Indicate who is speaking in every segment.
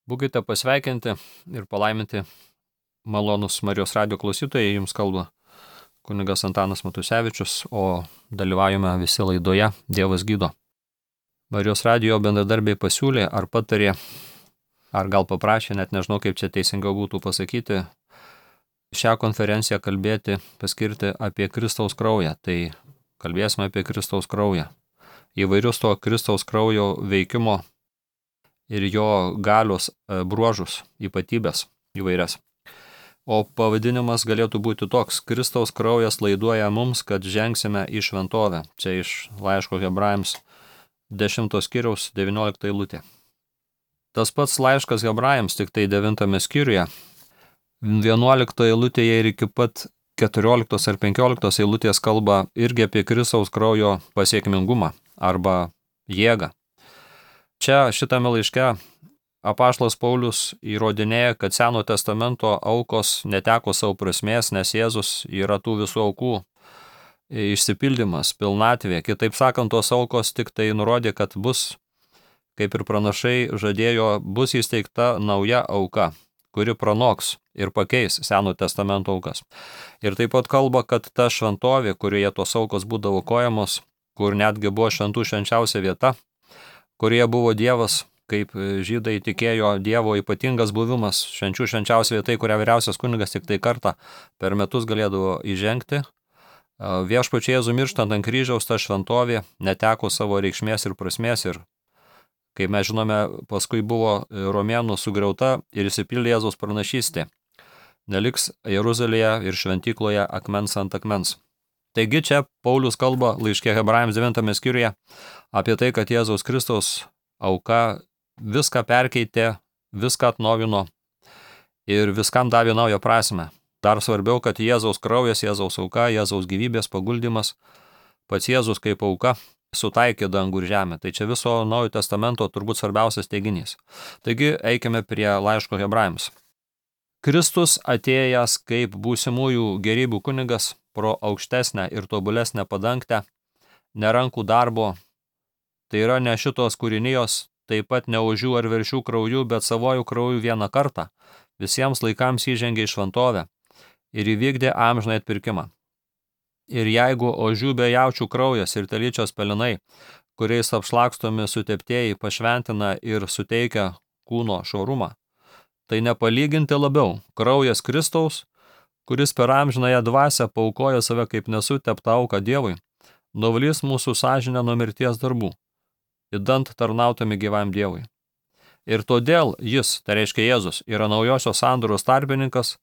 Speaker 1: Būkite pasveikinti ir palaiminti malonus Marijos radijo klausytojai, jums kalba kunigas Antanas Matusevičius, o dalyvaujame visi laidoje Dievas gydo. Marijos radijo bendradarbiai pasiūlė ar patarė, ar gal paprašė, net nežinau kaip čia teisingiau būtų pasakyti, šią konferenciją kalbėti, paskirti apie Kristaus kraują. Tai kalbėsime apie Kristaus kraują. Įvairius to Kristaus kraujo veikimo ir jo galios bruožus, ypatybės įvairias. O pavadinimas galėtų būti toks: Kristaus kraujas laiduoja mums, kad žengsime į šventovę. Čia iš laiško Hebrajams 10 skyriaus 19 eilutė. Tas pats laiškas Hebrajams, tik tai 9 skyriuje, 11 eilutėje ir iki pat 14 ar 15 eilutės kalba irgi apie Kristaus kraujo pasiekmingumą arba jėgą. Čia šitame laiške apaštalas Paulius įrodinėja, kad Seno testamento aukos neteko savo prasmės, nes Jėzus yra tų visų aukų išsipildymas, pilnatvė. Kitaip sakant, tos aukos tik tai nurodė, kad bus, kaip ir pranašai žadėjo, bus įsteigta nauja auka, kuri pranoks ir pakeis Seno testamento aukas. Ir taip pat kalba, kad ta šventovė, kurioje tos aukos būdavo aukojamos, kur netgi buvo šventų švenčiausia vieta, kurioje buvo Dievas, kaip žydai tikėjo Dievo ypatingas buvimas, švenčių švenčiausia vieta, kurią vyriausias kunigas tik tai kartą per metus galėdavo įžengti. Viešpačiui Jėzui mirštant ant kryžiaus ta šventovė neteko savo reikšmės ir prasmės ir, kaip mes žinome, paskui buvo romėnų sugriauta ir išsipildė Jėzaus pranašystė. Neliks Jeruzalėje ir šventykloje akmens ant akmens. Taigi čia Paulius kalba laiške Hebrajams 9 skyriuje apie tai, kad Jėzaus Kristaus auka viską perkeitė, viską atnaujino ir viskam davė naują prasmę. Dar svarbiau, kad Jėzaus kraujas, Jėzaus auka, Jėzaus gyvybės paguldymas, pats Jėzus kaip auka sutaikė dangų ir žemę. Tai čia viso Naujojo testamento turbūt svarbiausias teiginys. Taigi eikime prie laiško Hebrajams. Kristus atėjęs kaip būsimųjų gerybių kunigas pro aukštesnę ir tobulesnę padangtę, ne rankų darbo, tai yra ne šitos kūrinijos, taip pat ne ožių ar veršių krauju, bet savojų krauju vieną kartą, visiems laikams įžengė į šventovę ir įvykdė amžinąjį atpirkimą. Ir jeigu ožių bei jaučių kraujas ir telyčios pelenai, kuriais apšlakstomi suteptieji, pašventina ir suteikia kūno švarumą, tai nepalyginti labiau kraujas Kristaus, kuris per amžinąją dvasią paaukojo save kaip nesuteptą auką Dievui, nuvalys mūsų sąžinę nuo mirties darbų, idant tarnautami gyvam Dievui. Ir todėl jis, tai reiškia Jėzus, yra naujosios sandoros tarpininkas,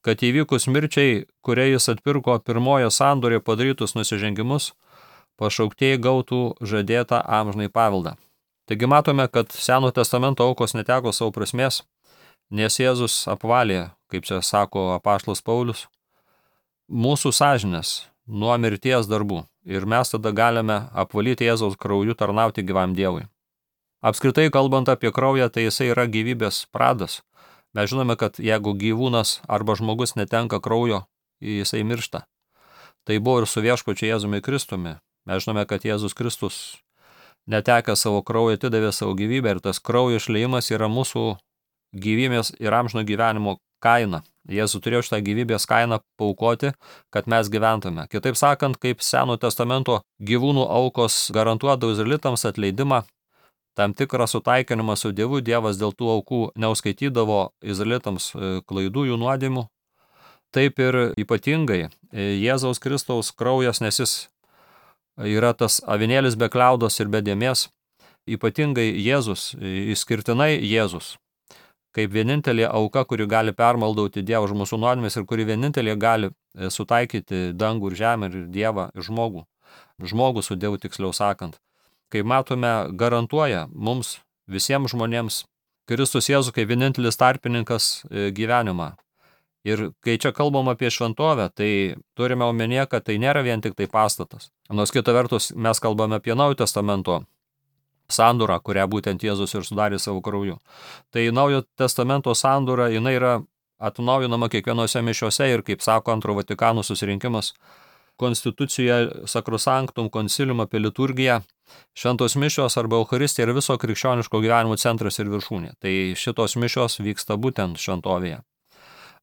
Speaker 1: kad įvykus mirčiai, kurie jis atpirko pirmojo sandorėje padarytus nusižengimus, pašauktieji gautų žadėtą amžinąjį paveldą. Taigi matome, kad Seno testamento aukos neteko savo prasmės, nes Jėzus apvalė, kaip čia sako apaštalas Paulius, mūsų sąžinės nuo mirties darbų ir mes tada galime apvalyti Jėzaus krauju tarnauti gyvam Dievui. Apskritai kalbant apie kraują, tai jisai yra gyvybės pradas. Mes žinome, kad jeigu gyvūnas arba žmogus netenka kraujo, jisai miršta. Tai buvo ir su viešpačiu Jėzumi Kristumi. Mes žinome, kad Jėzus Kristus netekę savo kraują atidavė savo gyvybę ir tas kraujo išliejimas yra mūsų gyvybės ir amžino gyvenimo kaina. Jėzus turėjo šitą gyvybės kainą paaukoti, kad mes gyventume. Kitaip sakant, kaip Seno testamento gyvūnų aukos garantuodavo izraelitams atleidimą, tam tikrą sutaikinimą su Dievu, Dievas dėl tų aukų neuskaitydavo izraelitams klaidų jų nuodėmių. Taip ir ypatingai Jėzaus Kristaus kraujas, nes jis yra tas avinėlis be kliaudos ir be dėmės, ypatingai Jėzus, išskirtinai Jėzus, kaip vienintelė auka, kuri gali permaldauti Dievą už mūsų nuodėmes ir kuri vienintelė gali sutaikyti dangų ir žemę ir Dievą ir žmogų. Žmogų su Dievu, tiksliau sakant. Kaip matome, garantuoja mums visiems žmonėms Kristus Jėzus kaip vienintelis tarpininkas gyvenimą. Ir kai čia kalbam apie šventovę, tai turime omenyje, kad tai nėra vien tik tai pastatas. Nors kita vertus mes kalbame apie Naujojo testamento sandorą, kurią būtent Jėzus ir sudarė savo krauju. Tai Naujojo testamento sandora, jinai yra atnaujinama kiekvienose mišiose ir, kaip sako Antro Vatikano susirinkimas, konstitucijoje Sacrosanctum Concilium apie liturgiją, šventos mišios arba Eucharistija yra viso krikščioniško gyvenimo centras ir viršūnė. Tai šitos mišios vyksta būtent šventovėje.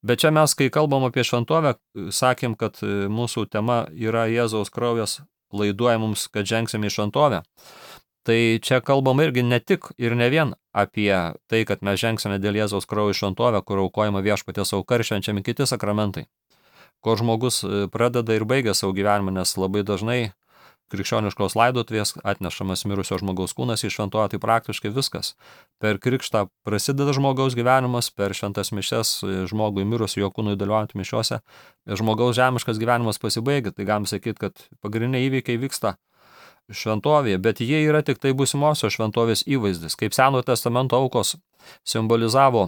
Speaker 1: Bet čia mes, kai kalbam apie šventovę, sakėm, kad mūsų tema yra Jėzaus kraujas laiduoja mums, kad žengsime į šventovę. Tai čia kalbam irgi ne tik ir ne vien apie tai, kad mes žengsime dėl Jėzaus kraujo į šventovę, kur aukojama viešpaties auka ir švenčiami kiti sakramentai, kur žmogus pradeda ir baigia savo gyvenimą, nes labai dažnai krikščioniškos laidotuvės atnešamas mirusio žmogaus kūnas į šventovę, tai praktiškai viskas. Per krikštą prasideda žmogaus gyvenimas, per šventas mišias žmogui mirus jo kūnui dalyvaujant mišiuose, žmogaus žemiškas gyvenimas pasibaigia, tai galim sakyti, kad pagrindiniai įvykiai vyksta šventovėje, bet jie yra tik tai būsimosios šventovės įvaizdis, kaip Senojo testamento aukos simbolizavo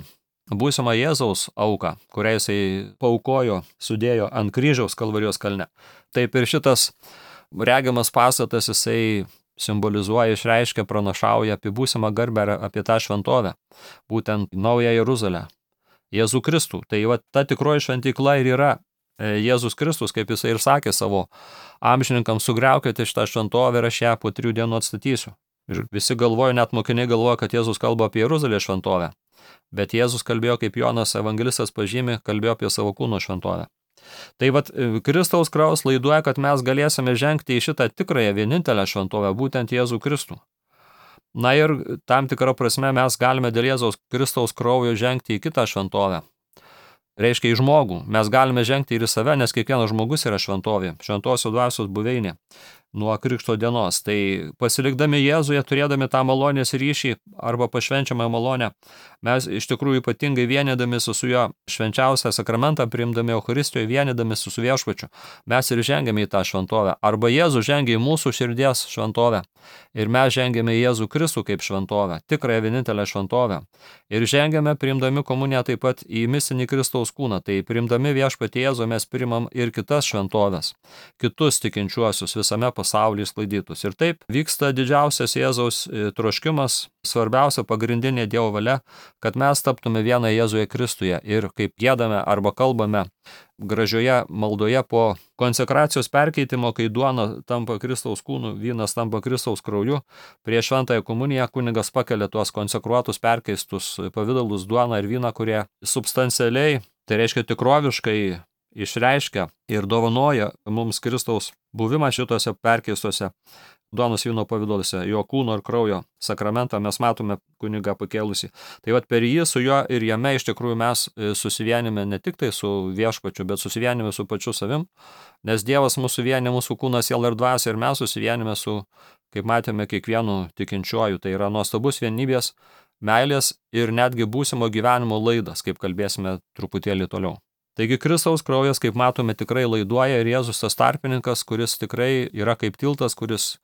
Speaker 1: būsimą Jėzaus auką, kurią jisai paaukojo, sudėjo ant kryžiaus Kalvarijos kalne. Taip ir šitas regiamas pastatas jisai simbolizuoja, išreiškia, pranašauja apie būsimą garbę, apie tą šventovę, būtent Naują Jeruzalę, Jėzų Kristų. Tai va, ta tikroji šventykla ir yra Jėzus Kristus, kaip jisai ir sakė savo amžininkams, sugriaukite šitą šventovę ir aš ją po 3 dienų atstatysiu. Ir visi galvojo, net mokiniai galvojo, kad Jėzus kalba apie Jeruzalės šventovę, bet Jėzus kalbėjo, kaip Jonas evangelistas pažymi, kalbėjo apie savo kūno šventovę. Tai vat Kristaus kraujas laiduoja, kad mes galėsime žengti į šitą tikrąją vienintelę šventovę, būtent Jėzų Kristų. Na ir tam tikrą prasme mes galime dėl Jėzaus Kristaus kraujo žengti į kitą šventovę. Reiškia į žmogų. Mes galime žengti ir į save, nes kiekvienas žmogus yra šventovė, šventosios dvasios buveinė nuo krikšto dienos. Tai pasilikdami Jėzuje, turėdami tą malonės ryšį arba pašvenčiamą malonę, mes iš tikrųjų ypatingai vienydamėsi su jo švenčiausią sakramentą, priimdami Eucharistijoje, vienydamėsi su viešpačiu, mes ir žengiame į tą šventovę. Arba Jėzus žengia į mūsų širdies šventovę ir mes žengiame į Jėzų Kristų kaip šventovę, tikrąją vienintelę šventovę. Ir žengiame, priimdami komuniją taip pat į mistinį Kristaus kūną. Tai priimdami viešpatį Jėzų mes priimam ir kitas šventovės, kitus tikinčiuosius visame pasaulyje sklaidytus. Ir taip vyksta didžiausias Jėzaus troškimas, svarbiausia pagrindinė Dievo valia, kad mes taptume vieną Jėzuje Kristuje. Ir kaip giedame arba kalbame gražioje maldoje po konsekracijos perkeitimo, kai duona tampa Kristaus kūnu, vynas tampa Kristaus krauju, prieš šventąją komuniją kunigas pakelia tuos konsekruotus perkeistus pavidalus duoną ir vyną, kurie substancialiai, tai reiškia tikroviškai, išreiškia ir dovanoja mums Kristaus buvimą šitose perkeistuose duonos vyno pavidaluose, jo kūno ir kraujo sakramentą mes matome kunigą pakėlusi. Tai vat per jį, su juo ir jame iš tikrųjų mes susivienime ne tik tai su viešpačiu, bet susivienime su pačiu savim, nes Dievas mūsų vienė, mūsų kūnas, siela ir dvasia, ir mes susivienime su, kaip matėme, kiekvienu tikinčiuoju. Tai yra nuostabus vienybės, meilės ir netgi būsimo gyvenimo laidas, kaip kalbėsime truputėlį toliau. Taigi Kristaus kraujas, kaip matome, tikrai laiduoja ir Jėzus tas tarpininkas, kuris tikrai yra kaip tiltas, kuris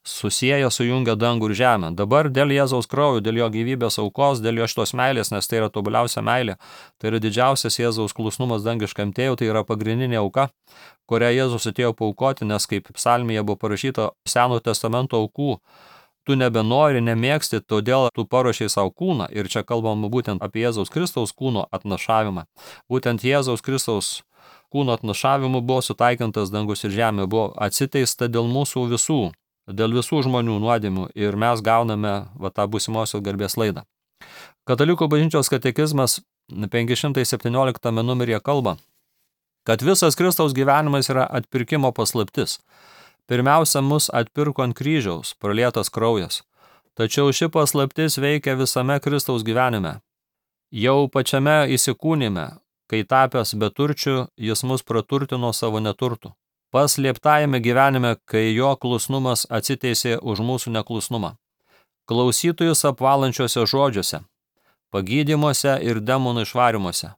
Speaker 1: susieja, sujungia dangų ir žemę. Dabar dėl Jėzaus kraujo, dėl jo gyvybės aukos, dėl jo šitos meilės, nes tai yra tobuliausia meilė, tai yra didžiausias Jėzaus klusnumas dangiškam tėvui, tai yra pagrindinė auka, kurią Jėzus atėjo paaukoti, nes kaip psalmėje buvo parašyta Senojo testamento aukų, tu nebenori, nemėgsti, todėl tu paruošei savo kūną. Ir čia kalbama būtent apie Jėzaus Kristaus kūno atnašavimą. Būtent Jėzaus Kristaus kūno atnašavimu buvo sutaikintas dangus ir žemė, buvo atsiteista dėl mūsų visų, dėl visų žmonių nuodėmių ir mes gauname tą būsimosios garbės laidą. Katalikų bažnyčios katekizmas 517 numeryje kalba, kad visas Kristaus gyvenimas yra atpirkimo paslaptis. Pirmiausia, mus atpirko ant kryžiaus, pralietas kraujas. Tačiau ši paslaptis veikia visame Kristaus gyvenime. Jau pačiame įsikūnime, kai tapęs beturčiu, jis mus praturtino savo neturtų. Paslėptajame gyvenime, kai jo klusnumas atsiteisė už mūsų neklusnumą. Klausytojus apvalančiuose žodžiuose, pagydymuose ir demonų išvarimuose,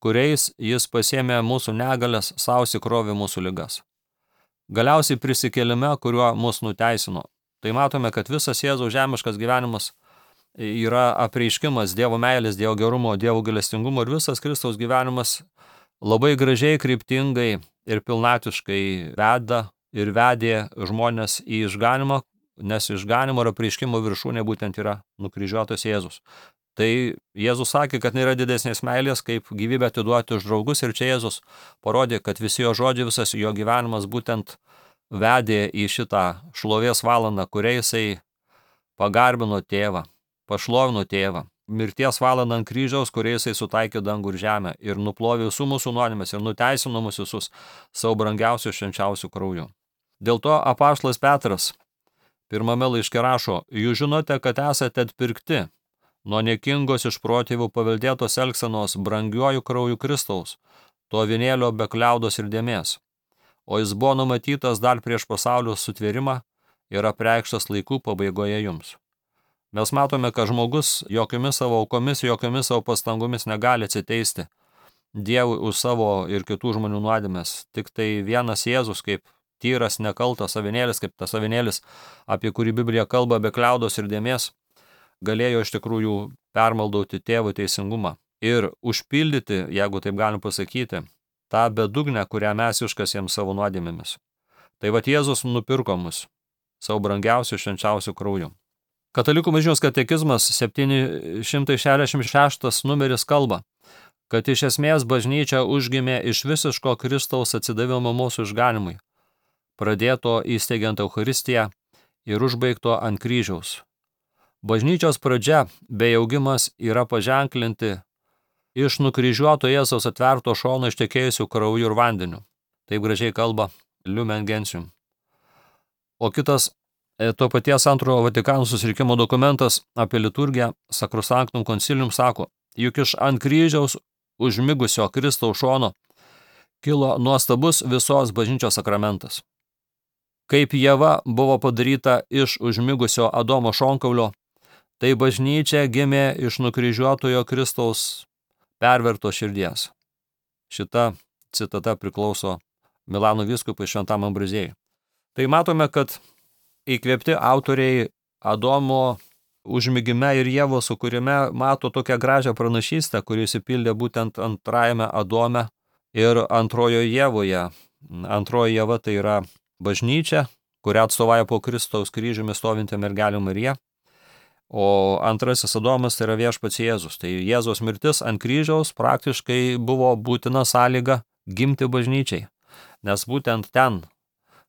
Speaker 1: kuriais jis pasėmė mūsų negalias, sausikrovė mūsų ligas. Galiausiai prisikėlime, kuriuo mus nuteisino. Tai matome, kad visas Jėzaus žemiškas gyvenimas yra apreiškimas Dievo meilės, Dievo gerumo, Dievo gailestingumo ir visas Kristaus gyvenimas labai gražiai, kryptingai ir pilnatiškai veda ir vedė žmonės į išganimą, nes išganimo ir apreiškimo viršūnė būtent yra nukryžiuotas Jėzus. Tai Jėzus sakė, kad nėra didesnės meilės, kaip gyvybę atiduoti už draugus, ir čia Jėzus parodė, kad visi jo žodžiai, visas jo gyvenimas būtent vedė į šitą šlovės valandą, kuriai jisai pagarbino tėvą, pašlovino tėvą. Mirties valandą ant kryžiaus, kuriai jisai sutaikė dangų ir žemę ir nuplovė visų mūsų nuodėmes ir nuteisino mus visus savo brangiausių švenčiausių krauju. Dėl to apaštalas Petras pirmame laiške rašo: jūs žinote, kad esate atpirkti nuo niekingos iš protėvių paveldėtos elgsenos brangiuoju krauju Kristaus, to avinėlio be kliaudos ir dėmės. O jis buvo numatytas dar prieš pasaulio sutvėrimą ir apreikštas laikų pabaigoje jums. Mes matome, kad žmogus jokiomis savo aukomis, jokiomis savo pastangomis negali atsiteisti Dievui už savo ir kitų žmonių nuodėmes. Tik tai vienas Jėzus, kaip tyras nekaltas avinėlis, kaip tas avinėlis, apie kurį Biblija kalba, be kliaudos ir dėmės, galėjo iš tikrųjų permaldauti tėvų teisingumą ir užpildyti, jeigu taip galim pasakyti, tą bedugnę, kurią mes iškasėm savo nuodėmėmis. Tai vat Jėzus nupirko mus savo brangiausių švenčiausių krauju. Katalikų bažnyčios katekizmas 766 numeris kalba, kad iš esmės bažnyčia užgimė iš visiško Kristaus atsidavimo mūsų išganimui, pradėto įsteigiant Eucharistiją ir užbaigto ant kryžiaus. Bažnyčios pradžia bei augimas yra paženklinti iš nukryžiuoto Jėzaus atverto šono ištekėjusių krauju ir vandeniu. Taip gražiai kalba Lumen Gentium. O kitas to paties antrojo Vatikano susirinkimo dokumentas apie liturgiją Sacrosanctum Concilium sako, juk iš ant kryžiaus užmigusio Kristaus šono kilo nuostabus visos bažnyčios sakramentas. Kaip Ieva buvo padaryta iš užmigusio Adomo šonkaulio, tai bažnyčia gimė iš nukryžiuotojo Kristaus perverto širdies. Šita citata priklauso Milano vyskupui Šventam Ambraziejui. Tai matome, kad įkvėpti autoriai Adomo užmigime ir Ievos sukūrime mato tokią gražią pranašystę, kuri įsipildė būtent antrajame Adome ir antrojoje Ievoje. Antroji Ieva tai yra bažnyčia, kurią atstovauja po Kristaus kryžiumi stovinti mergelė Marija, o antrasis Adomas tai yra viešpats Jėzus. Tai Jėzaus mirtis ant kryžiaus praktiškai buvo būtina sąlyga gimti bažnyčiai, nes būtent ten,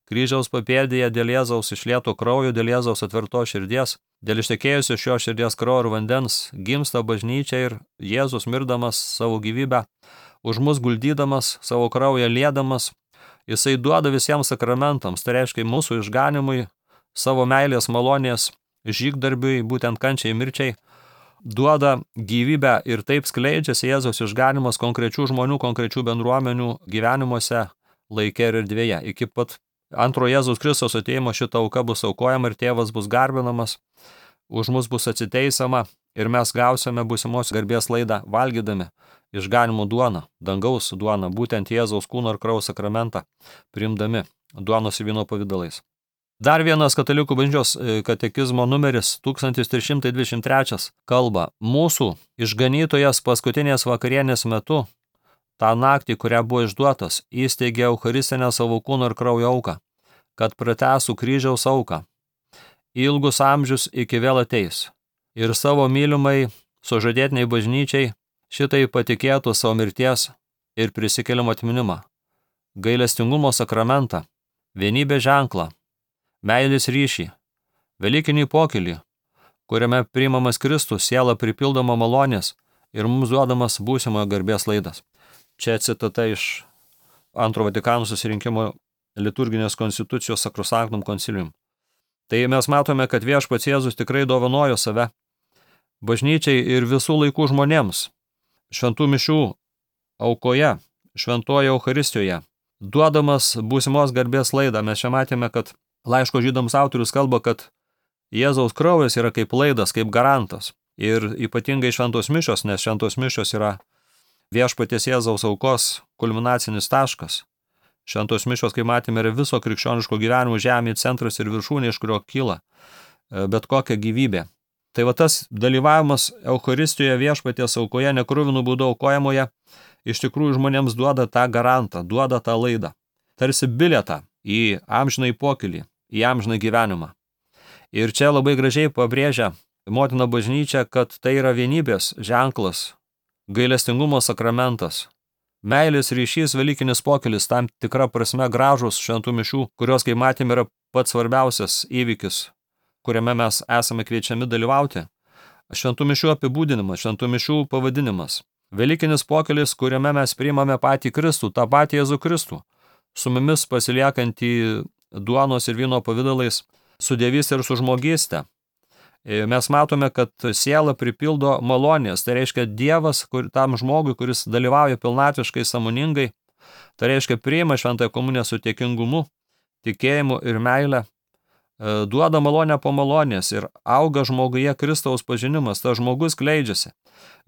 Speaker 1: kryžiaus papėdėje, dėl Jėzaus išlieto kraujo, dėl Jėzaus atvertos širdies, dėl ištekėjusio šio širdies kraujo ir vandens gimsta bažnyčia ir Jėzus mirdamas savo gyvybę, už mus guldydamas, savo kraują liedamas, jisai duoda visiems sakramentams, tai reiškia mūsų išganimui, savo meilės malonės žygdarbiui, būtent kančiai mirčiai, duoda gyvybę ir taip skleidžiasi Jėzaus išganimas konkrečių žmonių, konkrečių bendruomenių gyvenimuose, laike ir erdvėje. Iki pat antro Jėzaus Kristaus atėjimo šita auka bus aukojama ir tėvas bus garbinamas, už mus bus atsiteisama ir mes gausime būsimos garbės laidą valgydami išganimo duoną, dangaus duoną, būtent Jėzaus kūno ir kraujo sakramentą, priimdami duonos ir vyno pavydalais. Dar vienas katalikų bažnyčios katekizmo numeris 1323 kalba, mūsų išganytojas paskutinės vakarienės metu, tą naktį, kurią buvo išduotas, įsteigė Eucharistinę savo kūno ir kraujo auką, kad pratęstų kryžiaus auką. Ilgus amžius iki vėl ateis ir savo mylimai sužadėtiniai bažnyčiai šitai patikėtų savo mirties ir prisikėlimo atminimą, gailestingumo sakramentą, vienybės ženklą, meilės ryšį, velykinį pokylį, kuriame priimamas Kristus, siela pripildoma malonės ir mums duodamas būsimojo garbės laidas. Čia citata iš antro Vatikano susirinkimo liturginės konstitucijos Sacrosanctum Concilium. Tai mes matome, kad viešpats Jėzus tikrai dovanojo save bažnyčiai ir visų laikų žmonėms, šventų mišių aukoje, šventoje Eucharistijoje, duodamas būsimos garbės laidą. Mes čia matėme, kad laiško žydams autorius kalba, kad Jėzaus kraujas yra kaip laidas, kaip garantas. Ir ypatingai šventos mišios, nes šventos mišios yra viešpaties Jėzaus aukos kulminacinis taškas. Šventos mišios, kaip matėme, yra viso krikščioniško gyvenimo žemėje centras ir viršūnė, iš kurio kyla bet kokia gyvybė. Tai va tas dalyvavimas Eucharistijoje viešpaties aukoje, nekruvinų būdų aukojamoje, iš tikrųjų žmonėms duoda tą garantą, duoda tą laidą. Tarsi bilietą į amžinąjį pokylį, į amžiną gyvenimą. Ir čia labai gražiai pabrėžia motina bažnyčia, kad tai yra vienybės ženklas, gailestingumo sakramentas. Meilės ryšys, velykinis pokylis, tam tikra prasme gražus šventų mišių, kurios, kaip matėme, yra pats svarbiausias įvykis, kuriame mes esame kviečiami dalyvauti. Šventų mišių apibūdinimas, šventų mišių pavadinimas. Velykinis pokylis, kuriame mes priimame patį Kristų, tą patį Jėzų Kristų, su mumis pasiliekantį duonos ir vyno pavidalais, su dievystė ir su žmogystė. Mes matome, kad siela pripildo malonės, tai reiškia Dievas tam žmogui, kuris dalyvauja pilnatviškai, sąmoningai, tai reiškia priima šventąją komuniją su dėkingumu, tikėjimu ir meile, duoda malonę po malonės ir auga žmoguje Kristaus pažinimas, tas žmogus kleidžiasi.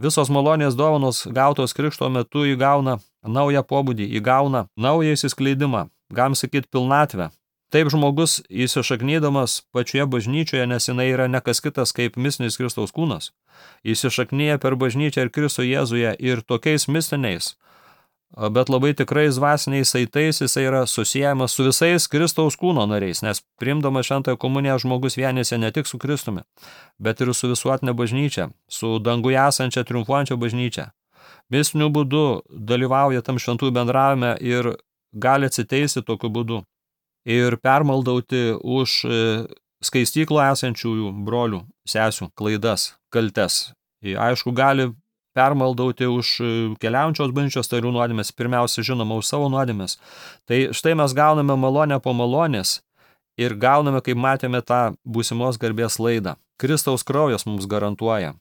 Speaker 1: Visos malonės dovanos gautos krikšto metu įgauna naują pobūdį, įgauna naują įsiskleidimą, galim sakyti pilnatvę. Taip žmogus įsišaknydamas pačioje bažnyčioje, nes jinai yra ne kas kitas kaip mistinis Kristaus kūnas, įsišaknyja per bažnyčią ir Kristų Jėzuje ir tokiais mistiniais, bet labai tikrais dvasiniais saitais jisai yra susiejamas su visais Kristaus kūno nariais, nes priimdamas šventąją komuniją žmogus vienysi ne tik su Kristumi, bet ir su visuotinė bažnyčia, su danguje esančia triumfuojančia bažnyčia. Mistiniu būdu dalyvauja tam šventų bendravime ir gali atsiteisti tokiu būdu ir permaldauti už skaistyklo esančiųjų brolių, sesių klaidas, kaltes. Aišku, gali permaldauti už keliaujančios bažnyčios narių nuodėmes, pirmiausia, žinoma, už savo nuodėmes. Tai štai mes gauname malonę po malonės ir gauname, kaip matėme, tą būsimos garbės laidą. Kristaus kraujas mums garantuoja.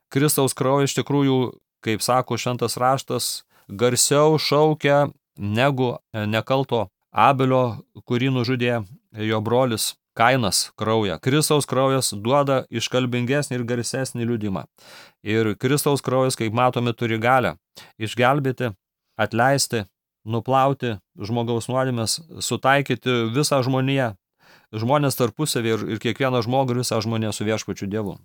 Speaker 1: Kristaus kraujas iš tikrųjų, kaip sako šventas raštas, garsiau šaukia negu nekalto Abelio, kurį nužudė jo brolis Kainas kraują. Kristaus kraujas duoda iškalbingesnį ir garsesnį liudimą. Ir Kristaus kraujas, kaip matome, turi galią išgelbėti, atleisti, nuplauti žmogaus nuodėmes, sutaikyti visą žmoniją, žmonės tarpusavį ir kiekvieną žmogų ir visą žmoniją su viešpačiu Dievu.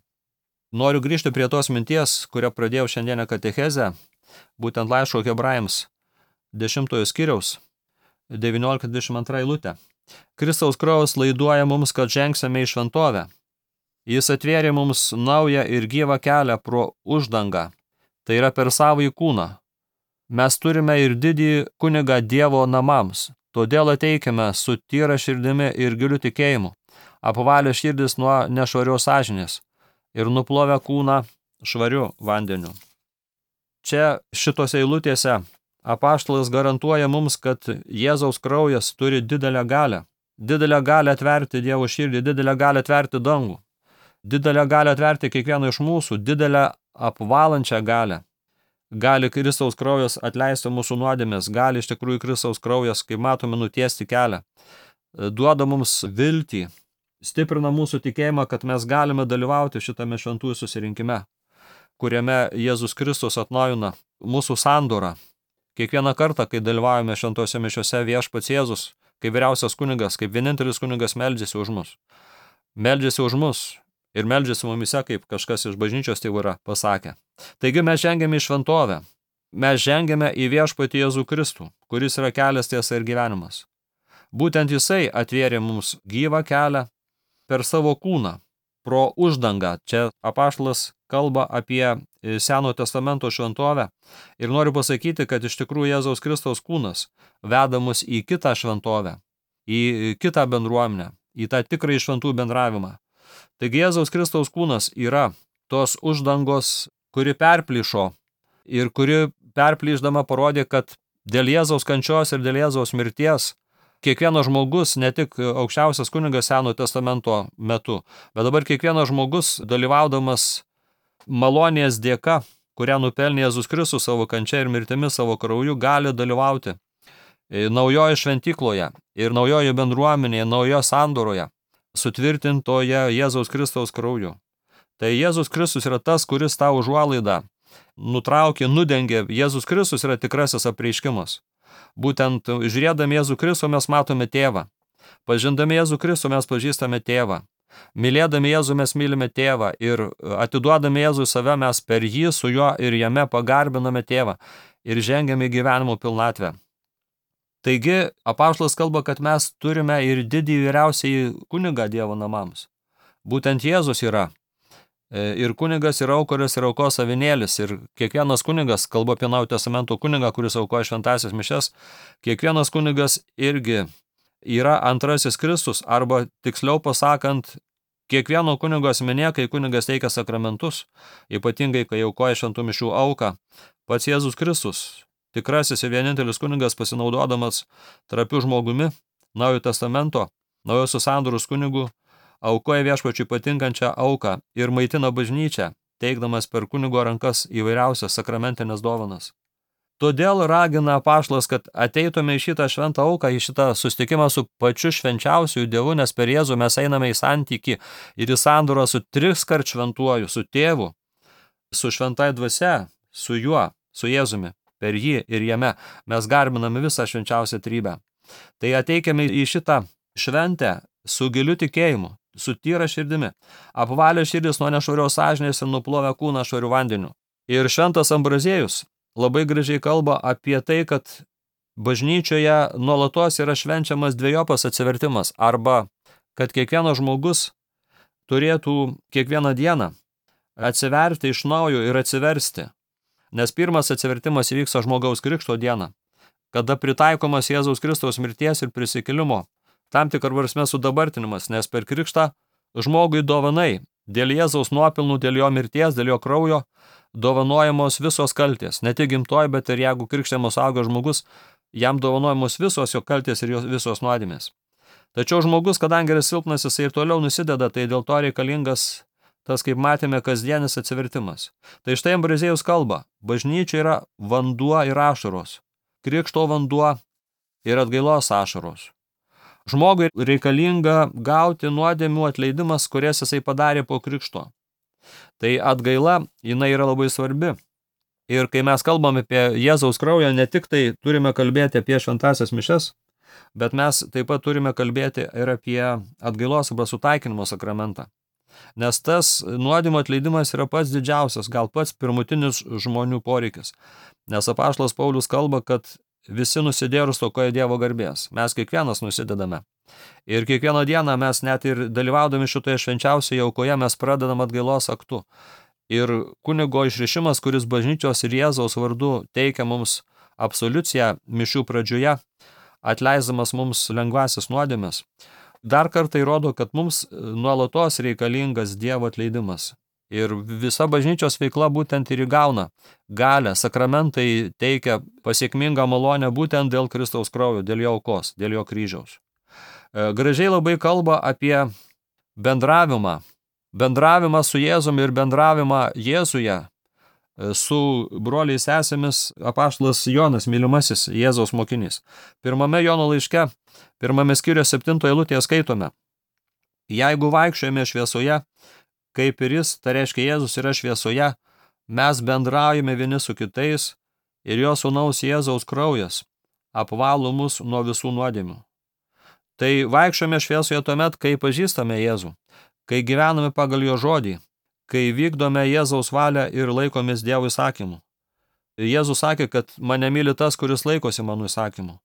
Speaker 1: Noriu grįžti prie tos minties, kurią pradėjau šiandienę katechezę, būtent laiško Hebrajams 10 skyriaus 19-22 eilutė. Kristaus kraujas laiduoja mums, kad žengsime į šventovę. Jis atvėrė mums naują ir gyvą kelią pro uždangą, tai yra per savąjį kūną. Mes turime ir didį kunigą Dievo namams, todėl ateikime su tyra širdimi ir giliu tikėjimu, apvalę širdis nuo nešvarios sąžinės ir nuplovę kūną švariu vandeniu. Čia šitose eilutėse apaštalas garantuoja mums, kad Jėzaus kraujas turi didelę galią atverti Dievo širdį, didelę galią atverti dangų, didelę galią atverti kiekvieną iš mūsų, didelę apvalančią galią. Gali Kristaus kraujas atleisti mūsų nuodėmes, gali iš tikrųjų Kristaus kraujas, kaip matome, nutiesti kelią, duoda mums viltį, stiprina mūsų tikėjimą, kad mes galime dalyvauti šitame šventųjų susirinkime, kuriame Jėzus Kristus atnaujina mūsų sandorą. Kiekvieną kartą, kai dalyvaujame šventose mišiose, viešpats Jėzus, kaip vyriausias kunigas, kaip vienintelis kunigas meldžiasi už mus. Meldžiasi už mus ir meldžiasi mumise, kaip kažkas iš bažnyčios tėvų yra pasakę. Taigi mes žengiame į šventovę. Mes žengiame į viešpatį Jėzų Kristų, kuris yra kelias, tiesa ir gyvenimas. Būtent jisai atvėrė mums gyvą kelią per savo kūną, pro uždangą. Čia apaštalas kalba apie Senojo testamento šventovę ir noriu pasakyti, kad iš tikrųjų Jėzaus Kristaus kūnas veda mus į kitą šventovę, į kitą bendruomenę, į tą tikrąjį šventų bendravimą. Taigi Jėzaus Kristaus kūnas yra tos uždangos, kuri perplyšo ir kuri perplyšdama parodė, kad dėl Jėzaus kančios ir dėl Jėzaus mirties kiekvienas žmogus, ne tik aukščiausias kunigas Senojo testamento metu, bet dabar kiekvienas žmogus dalyvaudamas malonės dėka, kurią nupelnė Jėzus Kristus savo kančia ir mirtimi, savo krauju, gali dalyvauti naujoje šventykloje ir naujoje bendruomenėje, naujoje sandoroje, sutvirtintoje Jėzaus Kristaus krauju. Tai Jėzus Kristus yra tas, kuris tą užuolaidą nutraukė, nudengė. Jėzus Kristus yra tikrasis apreiškimas. Būtent žiūrėdami Jėzų Kristų mes matome tėvą. Pažindami Jėzų Kristų mes pažįstame tėvą. Mylėdami Jėzų mes mylime tėvą ir atiduodami Jėzų save mes per jį su juo ir jame pagarbiname tėvą ir žengiame į gyvenimo pilnatvę. Taigi apaštalas kalba, kad mes turime ir didį vyriausiąjį kunigą Dievo namams. Būtent Jėzus yra Ir kunigas yra aukoris ir aukos avinėlis. Ir kiekvienas kunigas, kalbu apie Naujojo testamento kunigą, kuris aukoja šventąsias mišias, kiekvienas kunigas irgi yra antrasis Kristus, arba tiksliau pasakant, kiekvieno kunigo asmenė, kai kunigas teikia sakramentus, ypatingai kai aukoja šventų mišių auką, pats Jėzus Kristus, tikrasis ir vienintelis kunigas, pasinaudodamas trapiu žmogumi, Naujojo testamento, Naujosios sandoros kunigų, aukoja viešpačiui patinkančią auką ir maitina bažnyčią, teikdamas per kunigo rankas įvairiausias sakramentinės dovanas. Todėl ragina apaštalas, kad ateitume į šitą šventą auką, į šitą susitikimą su pačiu švenčiausiu Dievu, nes per Jėzų mes einame į santykį ir į sandorą su triskart šventuoju, su tėvu, su šventai dvasia, su juo, su Jėzumi, per jį ir jame mes garbiname visą švenčiausią trybę. Tai ateikime į šitą šventę su giliu tikėjimu, su tyra širdimi, apvalę širdis nuo nešvarios sąžinės ir nuplovę kūną švariu vandeniu. Ir šventas Ambraziejus labai gražiai kalba apie tai, kad bažnyčioje nuolatos yra švenčiamas dvejopas atsivertimas, arba kad kiekvienas žmogus turėtų kiekvieną dieną atsiverti iš naujo ir atsiversti. Nes pirmas atsivertimas įvyksta žmogaus krikšto dieną, kada pritaikomas Jėzaus Kristaus mirties ir prisikėlimo tam tikrą prasme sudabartinimas, nes per krikštą žmogui dovanai, dėl Jėzaus nuopilnų, dėl jo mirties, dėl jo kraujo, dovanojamos visos kaltės. Ne tik gimtoj, bet ir jeigu krikštiamas suaugęs žmogus, jam dovanojamos visos jo kaltės ir visos nuodėmės. Tačiau žmogus, kadangi yra silpnas, jisai ir toliau nusideda, tai dėl to reikalingas tas, kaip matėme, kasdienis atsivertimas. Tai štai Ambraziejus kalba, bažnyčia yra vanduo ir ašaros, krikšto vanduo ir atgailos ašaros. Žmogui reikalinga gauti nuodėmių atleidimas, kurias jisai padarė po krikšto. Tai atgaila, jinai yra labai svarbi. Ir kai mes kalbame apie Jėzaus kraują, ne tik tai turime kalbėti apie šventąsias mišias, bet mes taip pat turime kalbėti ir apie atgailos arba sutaikinimo sakramentą. Nes tas nuodėmių atleidimas yra pats didžiausias, gal pats pirmutinis žmonių poreikis. Nes apaštalas Paulius kalba, kad visi nusidėjo ir stokoja Dievo garbės. Mes kiekvienas nusidedame. Ir kiekvieną dieną mes net ir dalyvaudami šitoje švenčiausioje aukoje mes pradedam atgailos aktu. Ir kunigo išrišimas, kuris bažnyčios ir Jėzaus vardu teikia mums absoliuciją mišių pradžioje, atleisdamas mums lengvasis nuodėmes, dar kartą įrodo, kad mums nuolatos reikalingas Dievo atleidimas. Ir visa bažnyčios veikla būtent ir įgauna galę, sakramentai teikia pasiekmingą malonę būtent dėl Kristaus kraujo, dėl jo aukos, dėl jo kryžiaus. Gražiai labai kalba apie bendravimą su Jėzumi ir bendravimą Jėzuje su broliais sesėmis apaštalas Jonas, mylimasis Jėzaus mokinys. Pirmame Jono laiške, pirmame skyriuje 7 eilutėje skaitome: Jeigu vaikščiojame šviesoje, kaip ir jis, tai reiškia Jėzus yra šviesoje, mes bendraujame vieni su kitais ir jo sūnaus Jėzaus kraujas apvalo mus nuo visų nuodėmių. Tai vaikščiojame šviesoje tuomet, kai pažįstame Jėzų, kai gyvename pagal jo žodį, kai vykdome Jėzaus valią ir laikomės Dievo įsakymų. Jėzus sakė, kad mane myli tas, kuris laikosi mano įsakymų,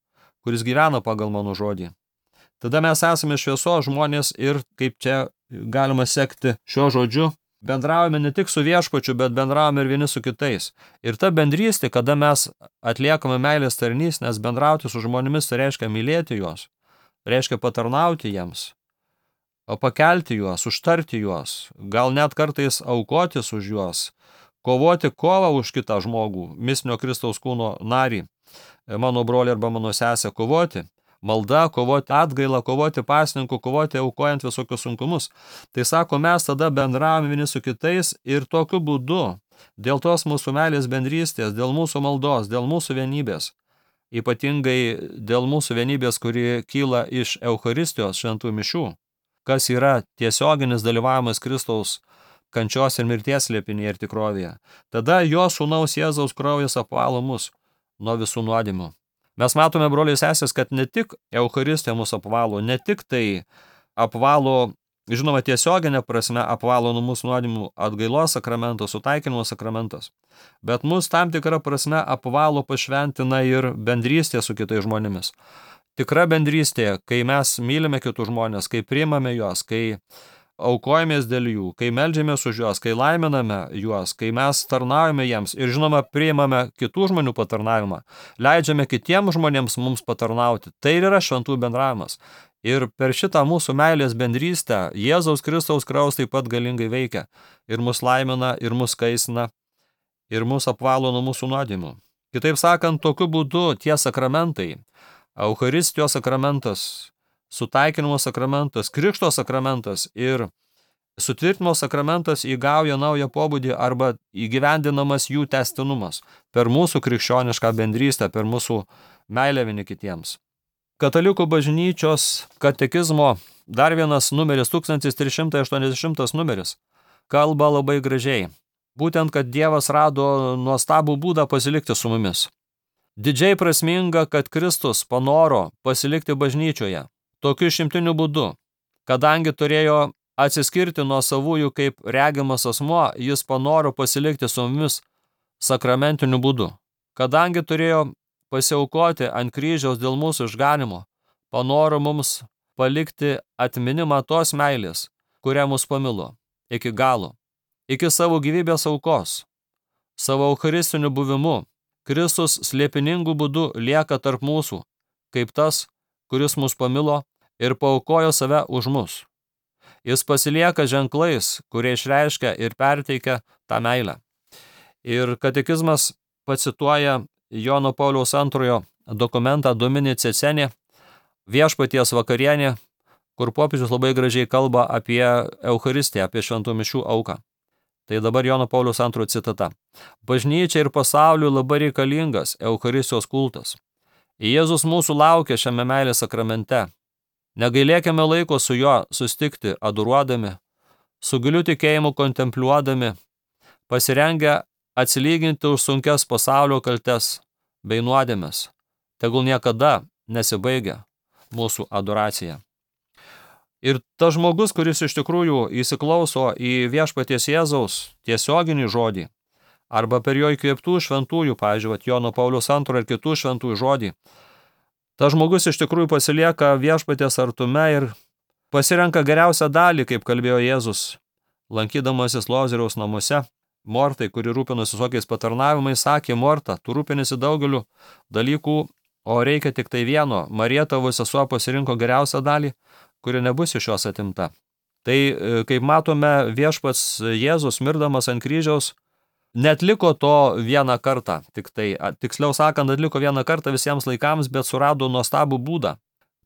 Speaker 1: kuris gyvena pagal mano žodį. Tada mes esame šviesos žmonės ir, kaip čia galima sekti šiuo žodžiu, bendraujame ne tik su viešpačiu, bet bendraujame ir vieni su kitais. Ir ta bendrystė, kada mes atliekame meilės tarnystę, nes bendrauti su žmonėmis tai reiškia mylėti juos, reiškia patarnauti jiems, pakelti juos, užtarti juos, gal net kartais aukotis už juos, kovoti kovą už kitą žmogų, mistinio Kristaus kūno narį, mano brolį arba mano sesę, kovoti malda, kovoti atgailą, kovoti pasninku, kovoti aukojant visokius sunkumus. Tai sako, mes tada bendravome vieni su kitais ir tokiu būdu, dėl tos mūsų meilės bendrystės, dėl mūsų maldos, dėl mūsų vienybės, ypatingai dėl mūsų vienybės, kuri kyla iš Eucharistijos šventų mišių, kas yra tiesioginis dalyvavimas Kristaus kančios ir mirties slėpinyje ir tikrovėje. Tada jo sūnaus Jėzaus kraujas apvalo mus nuo visų nuodėmių. Mes matome, broliai sesės, kad ne tik Eucharistija mus apvalo, ne tik tai apvalo, žinoma, tiesioginė prasme apvalo nuo mūsų nuodėmių atgailos sakramentas, sutaikinimo sakramentas, bet mus tam tikrą prasme apvalo, pašventina ir bendrystė su kitais žmonėmis. Tikra bendrystė, kai mes mylime kitus žmonės, kai priimame juos, kai aukojamės dėl jų, kai meldžiamės už juos, kai laiminame juos, kai mes tarnaujame jiems ir žinoma priimame kitų žmonių patarnavimą, leidžiame kitiems žmonėms mums patarnauti. Tai ir yra šventų bendravimas. Ir per šitą mūsų meilės bendrystę Jėzaus Kristaus kraujas taip pat galingai veikia ir mus laimina, ir mus kaisina, ir mus apvalo nuo mūsų nuodėmių. Kitaip sakant, tokiu būdu tie sakramentai, Eucharistijos sakramentas, sutaikinimo sakramentas, krikšto sakramentas ir sutvirtinimo sakramentas įgauja naują pobūdį arba įgyvendinamas jų tęstinumas per mūsų krikščionišką bendrystę, per mūsų meilę vieni kitiems. Katalikų bažnyčios katekizmo dar vienas numeris, 1380 numeris, kalba labai gražiai. Būtent, kad Dievas rado nuostabų būdą pasilikti su mumis. Didžiai prasminga, kad Kristus panoro pasilikti bažnyčioje. Tokiu išimtiniu būdu, kadangi turėjo atsiskirti nuo savųjų kaip regimas asmuo, jis panoro pasilikti su mumis sakramentiniu būdu. Kadangi turėjo pasiaukoti ant kryžiaus dėl mūsų išganimo, panoro mums palikti atminimą tos meilės, kurią mus pamilo, iki galo, iki savo gyvybės aukos. Savo eucharistiniu buvimu Kristus slėpiningų būdų lieka tarp mūsų, kaip tas, kuris mus pamilo ir paaukojo save už mus. Jis pasilieka ženklais, kurie išreiškia ir perteikia tą meilę. Ir katekizmas pacituoja Jono Pauliaus II dokumentą Domini Ceceni, Viešpaties vakarienė, kur popiežius labai gražiai kalba apie Eucharistiją, apie šventų mišių auką. Tai dabar Jono Pauliaus II citata. Bažnyčia ir pasauliui labai reikalingas Eucharistijos kultas. Jėzus mūsų laukia šiame meilės sakramente. Negailėkime laiko su juo sustikti adoruodami, su giliu tikėjimu kontempliuodami, pasirengę atsilyginti už sunkias pasaulio kaltes bei nuodėmes. Tegul niekada nesibaigia mūsų adoracija. Ir tas žmogus, kuris iš tikrųjų įsiklauso į Viešpaties Jėzaus tiesioginį žodį, arba per jo įkvėptų šventųjų, pavyzdžiui, Jono Pauliaus II ir kitų šventųjų žodį, tas žmogus iš tikrųjų pasilieka Viešpaties artume ir pasirenka geriausią dalį, kaip kalbėjo Jėzus, lankydamasis Lozoriaus namuose. Mortai, kuri rūpinosi visokiais patarnavimais, sakė: Morta, tu rūpinasi daugeliu dalykų, o reikia tik tai vieno. Marija, tavo sesuo, pasirinko geriausią dalį, kuri nebus iš jos atimta. Tai, kaip matome, Viešpats Jėzus, mirdamas ant kryžiaus, neatliko to vieną kartą, tiksliau sakant, atliko vieną kartą visiems laikams, bet surado nuostabų būdą,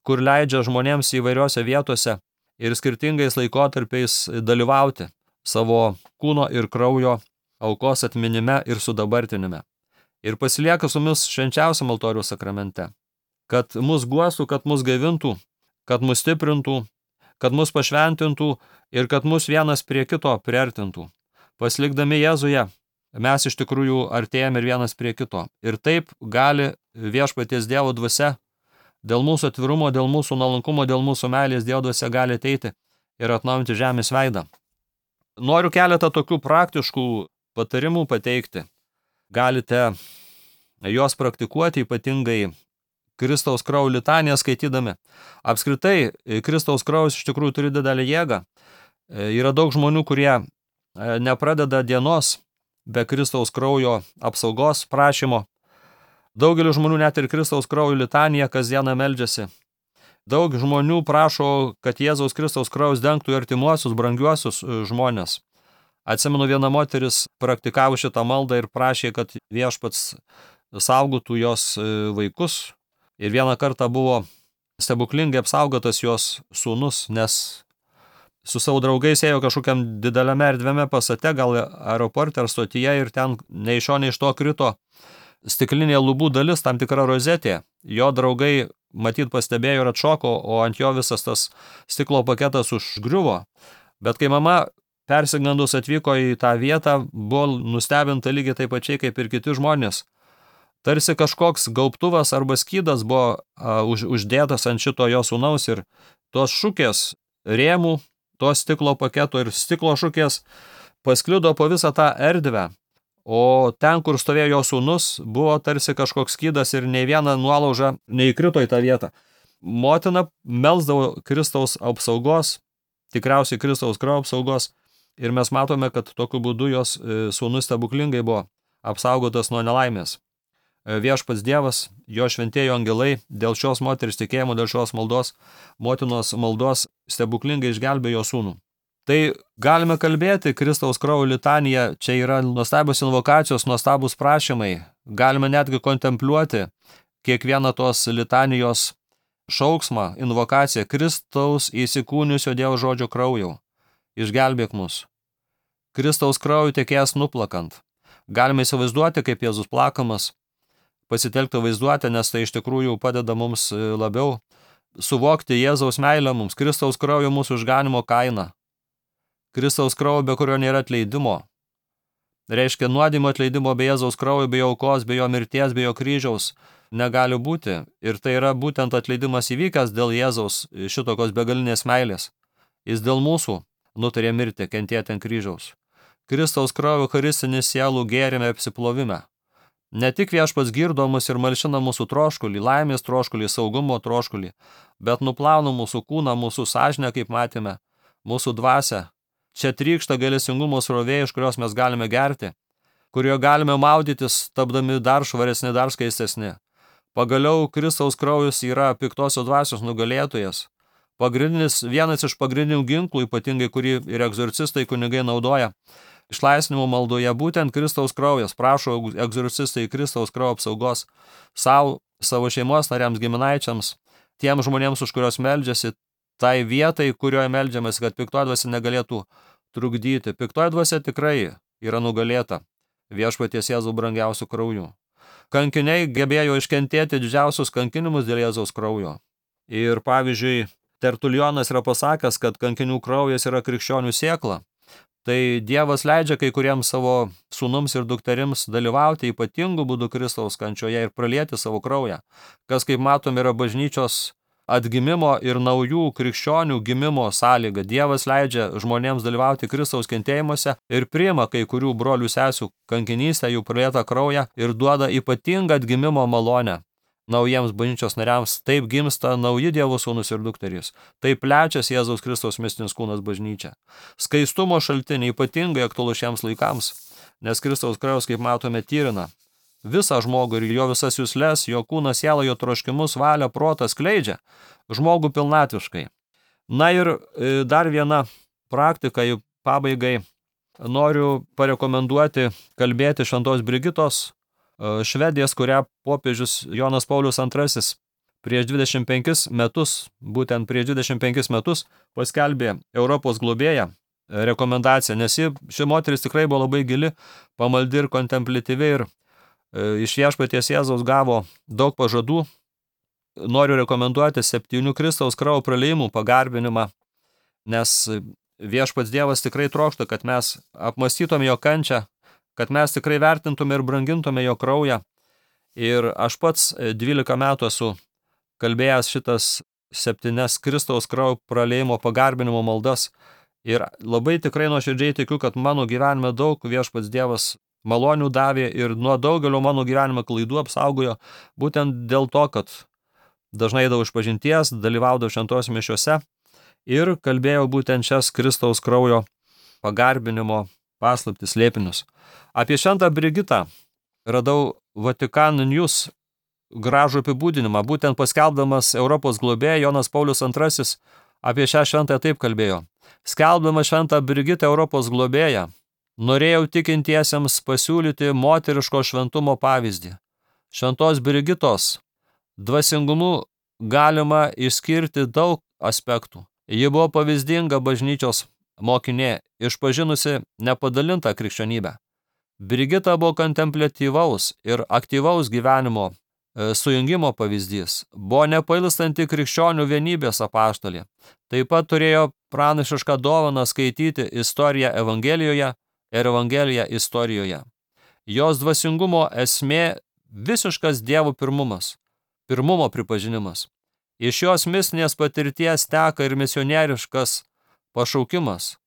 Speaker 1: kur leidžia žmonėms įvairiose vietose ir skirtingais laikotarpiais dalyvauti savo kūno ir kraujo aukos atminime ir sudabartinime. Ir pasilieka su mumis švenčiausiam altoriaus sakramente, kad mus guostų, kad mus gaivintų, kad mus stiprintų, kad mus pašventintų ir kad mus vienas prie kito priartintų. Pasilikdami Jėzuje, mes iš tikrųjų artėjame ir vienas prie kito. Ir taip gali Viešpaties Dievo dvasia, dėl mūsų atvirumo, dėl mūsų nuolankumo, dėl mūsų meilės Dievo dvasia gali ateiti ir atnaujinti žemės veidą. Noriu keletą tokių praktiškų patarimų pateikti. Galite juos praktikuoti, ypatingai Kristaus kraujo litaniją skaitydami. Apskritai, Kristaus kraujas iš tikrųjų turi didelę jėgą. Yra daug žmonių, kurie nepradeda dienos be Kristaus kraujo apsaugos prašymo. Daugelis žmonių net ir Kristaus kraujo litaniją kasdieną meldžiasi. Daug žmonių prašo, kad Jėzaus Kristaus kraujas dengtų artimuosius, brangiuosius žmonės. Atsimenu, viena moteris praktikavo šitą maldą ir prašė, kad Viešpats saugotų jos vaikus. Ir vieną kartą buvo stebuklingai apsaugotas jos sūnus, nes su savo draugais ėjo kažkokiam dideliame erdviame pastate, gal aeroporte ar stotyje, ir ten nei iš šio, nei iš to krito stiklinė lubų dalis, tam tikra rozetė. Jo draugai matyt pastebėjo ir atšoko, o ant jo visas tas stiklo paketas užgriuvo. Bet kai mama persigandus atvyko į tą vietą, buvo nustebinta lygiai taip pačiai kaip ir kiti žmonės. Tarsi kažkoks gaubtuvas arba skydas buvo uždėtas ant šito jo sūnaus ir tos šukės rėmų, to stiklo paketo ir stiklo šukės pasklido po visą tą erdvę, o ten, kur stovėjo jo sūnus, buvo tarsi kažkoks skydas ir nei viena nuolauža neįkrito į tą vietą. Motina melsdavo Kristaus apsaugos tikriausiai Kristaus kraujo apsaugos ir mes matome, kad tokiu būdu jos sūnus stebuklingai buvo apsaugotas nuo nelaimės. Viešpats Dievas, jo šventieji angelai dėl šios moters tikėjimo, dėl šios maldos, motinos maldos stebuklingai išgelbėjo sūnų. Tai galime kalbėti, Kristaus kraujo litanija, čia yra nuostabios invokacijos, nuostabus prašymai. Galime netgi kontempliuoti kiekvieną tos litanijos šauksmą, invokaciją. Kristaus įsikūnijusio Dievo žodžio kraujau, išgelbėk mus. Kristaus kraujo tekėjęs nuplakant. Galime įsivaizduoti, kaip Jėzus plakamas, pasitelkti vaizduotę, nes tai iš tikrųjų padeda mums labiau suvokti Jėzaus meilę mums, Kristaus kraujo mūsų išganimo kainą. Kristaus kraujo, be kurio nėra atleidimo. Reiškia, nuodėmio atleidimo be Jėzaus kraujo, be jo aukos, be jo mirties, be jo kryžiaus negali būti. Ir tai yra būtent atleidimas įvykęs dėl Jėzaus šitokios begalinės meilės. Jis dėl mūsų nutarė mirti, kentėti ant kryžiaus. Kristaus kraujo eucharistinis sielų gėrime apsiplovime. Ne tik Viešpats girdo mus ir malšina mūsų troškulį, laimės troškulį, saugumo troškulį, bet nuplauna mūsų kūną, mūsų sąžinę, kaip matėme, mūsų dvasią. Čia trykšta gailestingumo srovė, iš kurios mes galime gerti, kurioje galime maudytis, tapdami dar švaresni, dar skaistesni. Pagaliau Kristaus kraujas yra piktosios dvasios nugalėtojas. Vienas iš pagrindinių ginklų, ypatingai kurį ir egzorcistai kunigai naudoja, išlaisvinimo maldoje, būtent Kristaus kraujas. Prašo egzorcistai Kristaus kraujo apsaugos savo šeimos nariams, giminaičiams, tiems žmonėms, už kurios meldžiasi, tai vietai, kurioje meldžiamės, kad piktoji dvasia negalėtų trukdyti. Piktoji dvasia tikrai yra nugalėta Viešpaties Jėzaus brangiausių kraujų. Kankiniai gebėjo iškentėti didžiausius kankinimus dėl Jėzaus kraujo. Ir pavyzdžiui, Tertulionas yra pasakęs, kad kankinių kraujas yra krikščionių sėkla. Tai Dievas leidžia kai kuriems savo sūnums ir dukterims dalyvauti ypatingų būdų Kristaus kančioje ir pralieti savo kraują, kas, kaip matom, yra bažnyčios atgimimo ir naujų krikščionių gimimo sąlyga. Dievas leidžia žmonėms dalyvauti Kristaus kentėjimuose ir priima kai kurių brolių sesių kankinystę, jų pralietą kraują ir duoda ypatingą atgimimo malonę naujiems bažnyčios nariams. Taip gimsta nauji Dievo sūnus ir dukterys. Taip plečiasi Jėzaus Kristaus mistinis kūnas bažnyčia. Skaistumo šaltiniai ypatingai aktualu šiems laikams, nes Kristaus kraujas, kaip matome, tyrina visą žmogų ir jo visas jusles, jo kūną, sielą, jo troškimus, valią, protą skleidžia žmogų pilnatviškai. Na ir dar viena praktika, į pabaigai noriu parekomenduoti kalbėti šventos Brigitos, Švedės, kurią popiežius Jonas Paulius II prieš 25 metus, būtent prieš 25 metus paskelbė Europos globėją rekomendaciją, nes ši moteris tikrai buvo labai gili, pamaldi ir kontemplityvi ir iš Viešpaties Jėzaus gavo daug pažadų. Noriu rekomenduoti 7 Kristaus kraujo praliejimų pagarbinimą, nes Viešpats Dievas tikrai trokšta, kad mes apmąstytume jo kančią, kad mes tikrai vertintume ir brangintume jo kraują. Ir aš pats 12 metų esu kalbėjęs šitas 7 Kristaus kraujo praliejimo pagarbinimo maldas ir labai tikrai nuoširdžiai tikiu, kad mano gyvenime daug Viešpats Dievas malonių davė ir nuo daugelio mano gyvenimo klaidų apsaugojo, būtent dėl to, kad dažnai eidavau išpažinties, dalyvaudavau šventose mišiose ir kalbėjau būtent šias Kristaus kraujo pagarbinimo paslaptis, slėpinius. Apie šventą Brigitą radau Vatikan News gražų apibūdinimą, būtent paskelbdamas Europos globėją Jonas Paulius II apie šią šventąją taip kalbėjo. Skelbdamas šventą Brigitą Europos globėją, norėjau tikintiesiems pasiūlyti moteriško šventumo pavyzdį. Šventos Brigitos dvasingumu galima išskirti daug aspektų. Ji buvo pavyzdinga bažnyčios mokinė, išpažinusi nepadalintą krikščionybę. Brigita buvo kontempliatyvaus ir aktyvaus gyvenimo sujungimo pavyzdys, buvo nepailstanti krikščionių vienybės apaštalė. Taip pat turėjo pranašišką dovaną skaityti istoriją Evangelijoje ir Evangeliją istorijoje. Jos dvasingumo esmė visiškas Dievo pirmumo pripažinimas. Iš jos mistinės patirties teka ir misionieriškas pašaukimas,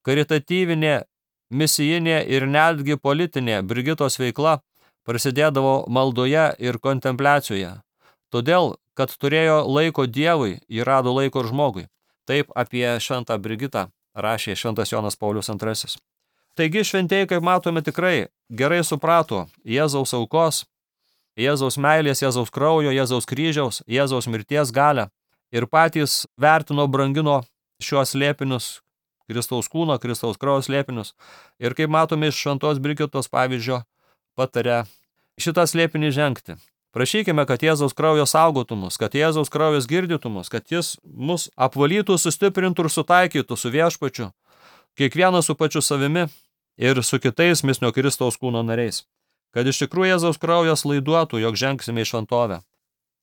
Speaker 1: karitatyvinė, misijinė ir netgi politinė Brigitos veikla prasidėdavo maldoje ir kontempliacijoje. Todėl, kad turėjo laiko Dievui, ji rado laiko ir žmogui. Taip apie šventą Brigitą rašė šventas Jonas Paulius II. Taigi šventieji, kaip matome, tikrai gerai suprato Jėzaus aukos, Jėzaus meilės, Jėzaus kraujo, Jėzaus kryžiaus, Jėzaus mirties galią ir patys vertino, brangino šiuos slėpinius, Kristaus kūno, Kristaus kraujo slėpinius. Ir kaip matome iš šventos Brigitos pavyzdžio, patarė šitą slėpinį žengti. Prašykime, kad Jėzaus kraujo saugotų mus, kad Jėzaus kraujas girdytų mus, kad jis mus apvalytų, sustiprintų ir sutaikytų su viešpačiu, kiekvienas su pačiu savimi ir su kitais misnio Kristaus kūno nariais. Kad iš tikrųjų Jėzaus kraujas laiduotų, jog žengsime į šventovę.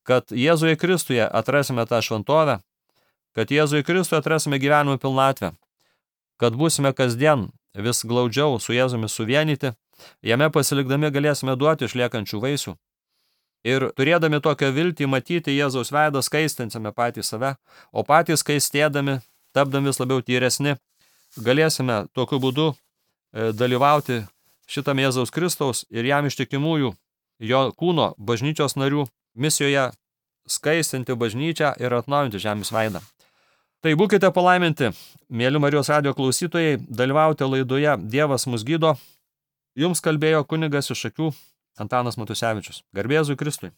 Speaker 1: Kad Jėzuje Kristuje atrasime tą šventovę, kad Jėzuje Kristuje atrasime gyvenimo pilnatvę, kad būsime kasdien vis glaudžiau su Jėzumi suvienyti, jame pasilikdami galėsime duoti išliekančių vaisių. Ir turėdami tokią viltį matyti Jėzaus veidą, skaistinsime patys save, o patys skaistėdami, tapdami vis labiau tyresni, galėsime tokiu būdu dalyvauti šitam Jėzaus Kristaus ir jam ištikimųjų, jo kūno bažnyčios narių misijoje skaistinti bažnyčią ir atnaujinti žemės veidą. Tai būkite palaiminti, mėly Marijos radijo klausytojai, dalyvaujate laidoje Dievas mus gydo. Jums kalbėjo kunigas iš Šakių Antanas Matusevičius. Garbė Jėzui Kristui.